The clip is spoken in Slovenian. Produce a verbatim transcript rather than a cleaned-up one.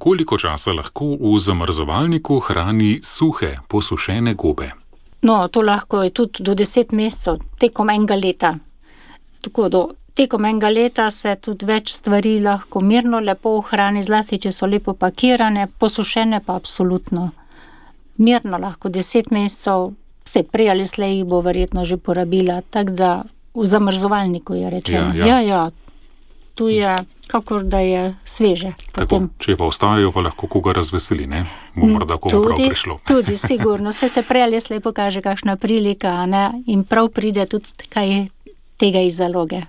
Koliko časa lahko v zamrzovalniku hrani suhe, posušene gobe? No, to lahko je tudi do deset mesecev, tekom enega leta. Tako do tekom enega leta se tudi več stvari lahko mirno lepo ohrani, zlasti, če so lepo pakirane, posušene pa absolutno. Mirno lahko deset mesecev, vse prej ali slej jih bo verjetno že porabila, tako da v zamrzovalniku je rečeno. Ja, ja. ja, ja. Tu je, kakor da je sveže. Tako, če pa ostajajo, pa lahko koga razveseli, ne? Bo morda komu prav prišlo. Tudi, sigurno. Vse se prej ali slej pokaže kakšna prilika, ne? In prav pride tudi kaj tega iz zaloge.